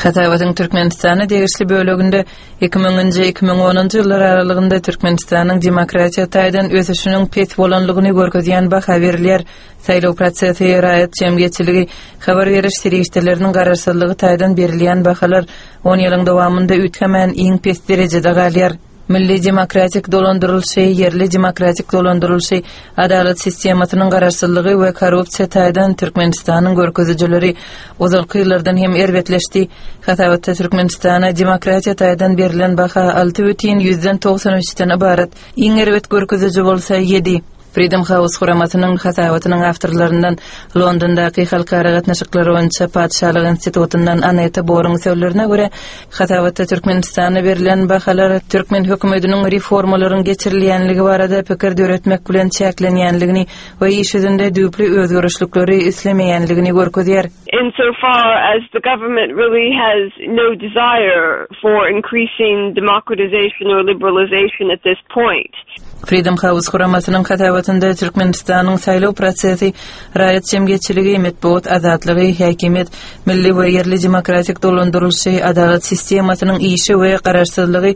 Hasabatyň Türkmenistana degişli böleginde 2000-nji, 2010-njy ýyllar aralygynda Türkmenistanyň demokratiýa taýdan ösüşiniň pes bolanlygyny görkezýän baha berilýär. Saýlaw prosesi, raýat jemgyýetçiligi, habar beriş serişdeleriniň garaşsyzlygy taýdan berilýän bahalar on ýylyň dowamynda üýtgemän iň pes derejede galýar. Milli demokratik dolandyrylyşy, ýerli demokratik dolandyrylyşy, adalat sistemasynyň garaşsyzlygy we korrupsiýa taýdan Türkmenistanyň görkezijileri ozalky ýyllardan hem erbetleşdi. Hasabatda Türkmenistana demokratiýa taýdan berlen baha 6,93-den ybarat, iň erbet görkeziji bolsa 7. Freedom House guramasynyň hasabatynyň awtorlaryndan Londondaky Halkara gatnaşyklary boýunça Patyşalyk institutyndan Aneta Boruň sözlerine görä, hasabatda Türkmenistana berlen bahalar türkmen hökümetiniň reformalaryň geçirilýänligi barada pikir döretmek bilen çäklenýänligini we iş ýüzünde düýpli özgerişlikleri islemeýänligini görkezýär. Insofar as the government really has no desire for increasing democratization or liberalization at this point. Freedom House guramasynyň hasabatynda Türkmenistanyň saýlaw prosesi, raýat jemgyýetçiligi, metbugat azatlygy, häkimiýet, milli we ýerli demokratik dolandyrylyşy, adalat sistemasynyň işi we garaşsyzlygy,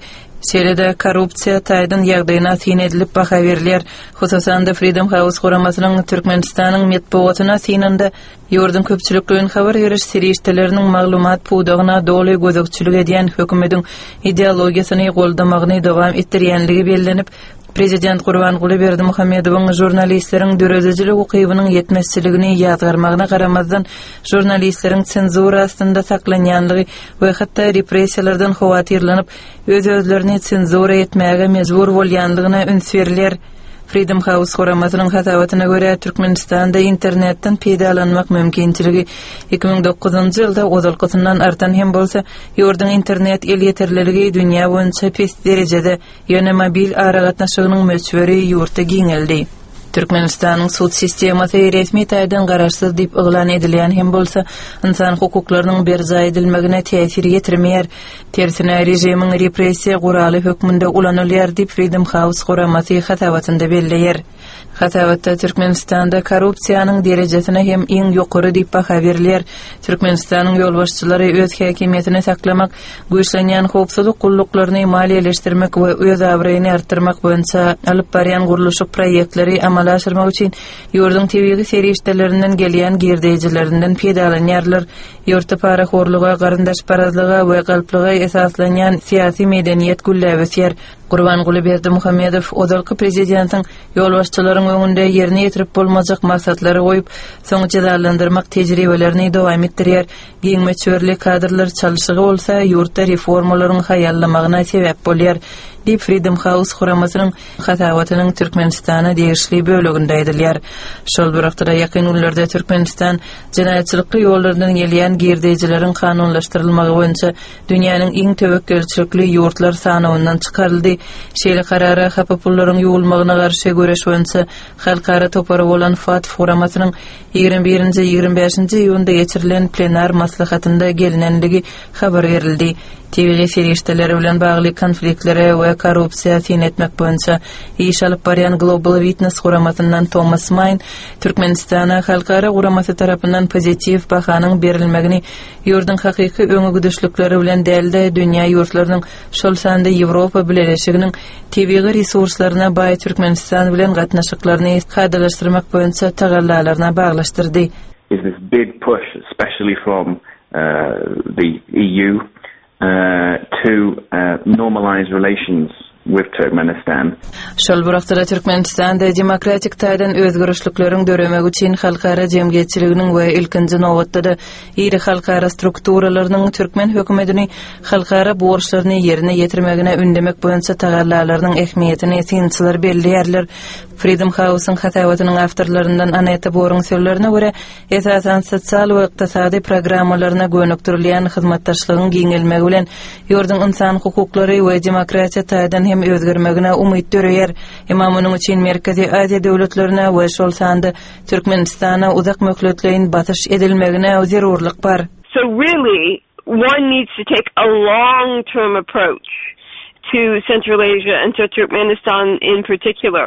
şeýle-de korrupsiýa taýdan ýagdaýyna syn edilip baha berilýär. Hususan-da, Freedom House guramasynyň Türkmenistanyň metbugatyna synynda Ýurduň köpçülikleýin habar beriş serişdeleriniň maglumat pudagyna doly gözegçilik edýän hökümediň ideologiýasyny goldamagyny dowam etdirýänligi bellenip, prezident Gurbanguly Berdimuhamedowyň žurnalistleriň döredijilik ukybynyň ýetmezçiligini ýazgarmagyna garamazdan, žurnalistleriň senzura astynda saklanýanlygy we hatda repressiýalardan howatyrlanyp, öz-özlerini senzura etmäge mejbur bolýanlygyna üns berilýär. Freedom House guramasynyň hasabatyna görä, Türkmenistanda internetden peýdalanmak mümkinçiligi 2009-njy ýylda ozalkysyndan artan hem bolsa, ýurduň internet elýeterliligi dünýä boýunça pes derejede, ýöne mobil aragatnaşygynyň möçberi ýurtda giňeldi. Türkmenistanyň sud sistemasy resmi taýdan garaşsyz diýip yglan edilýän hem bolsa, ynsan hukuklarynyň berjaý edilmegine täsir ýetirmeýär. Tersine, režimiň repressiýa guraly hökmünde ulanylýar diýip, Freedom House guramasy hasabatynda belleýär. Hasabatda Türkmenistanda korrupsiýanyň derejesine hem iň ýokary diýip baha berilýär. Türkmenistanyň ýolbaşçylary öz häkimiýetini saklamak, güýçlenýän howpsuzlyk gulluklaryny maliýeleşdirmek we öz abraýyny artdyrmak boýunça alyp barýan gurluşyk proýektleri amala aşyrmak üçin ýurduň tebigy serişdelerinden gelýän girdeýjilerinden peýdalanýarlar. Ýurtda parahorluga, garyndaşparazlyga we galplyga esaslanýan syýasy medeniýet gülläp ösýär. Gurbanguly Berdimuhamedow ozalky prezidentiň ýolbaşçylaryň öňünde ýerine ýetirip bolmajak maksatlary goýup, soň jezalandyrmak tejribelerini dowam etdirýär. Giň möçberli kadrlar çalşygy bolsa ýurtda reformalaryň haýallamagyna sebäp bolýar, diýip, Freedom House guramasynyň hasabatynyň Türkmenistana degişli böleginde aýdylýar. Şol bir wagtda-da, ýakyn günlerde Türkmenistan Jenaýatçylykly ýollardan gelýän girdeýjileriň kanunlaşdyrylmagy boýunça dünýäniň iň töwekgelçilikli ýurtlar sanawyndan çykaryldy. Şeýle karara hapa pullaryň ýuwulmagyna garşy göreş boýunça halkara topary bolan FATF guramasynyň 21-nji, 25-nji iýunda geçirilen plenar maslahatynda gelnenligi habar berildi. Tebigy serişdeler bilen bagly konfliktlere we korrupsiýa syn etmek boýunça iş alyp barýan Global Witness guramasyndan Tomas Maýn Türkmenistana halkara guramasy tarapyndan pozitiw bahanyň berilmegini ýurduň hakyky öňegidişlikleri bilen däl-de, dünýä ýurtlarynyň, şol sanda Ýewropa Bileleşiginiň tebigy resurslaryna baý Türkmenistan bilen gatnaşyklaryny kadalaşdyrmak boýunça tagallalaryna baglaşdyrdy. is this big push especially from the EU to normalise relations with Turkmenistan. Şol bir wagtda-da Türkmenistanda demokratik taýdan özgerişlikleriň döremegi üçin halkara jemgyýetçiliginiň we ilkinji nobatda-da iri halkara strukturalarynyň türkmen hökümetini halkara borçlaryny ýerine ýetirmegine ündemek boýunça tagallalarynyň ähmiýetini synçylar belleýärler. Freedom House-yň hasabatynyň awtorlaryndan Aneta Boruň sözlerine görä, esasan sosial we ykdysady programmalaryna gönükdirilýän hyzmatdaşlygyň giňelmegi bilen ýurduň ynsan hukuklary we demokratiýa taýdan hem özgermegine umyt döreýär. Emma munuň üçin Merkezi Aziýa döwletlerine we şol sanda Türkmenistana uzak möhletleýin basyş edilmegine zerurlyk bar. So really one needs to take a long term approach to Central Asia and to Turkmenistan in particular.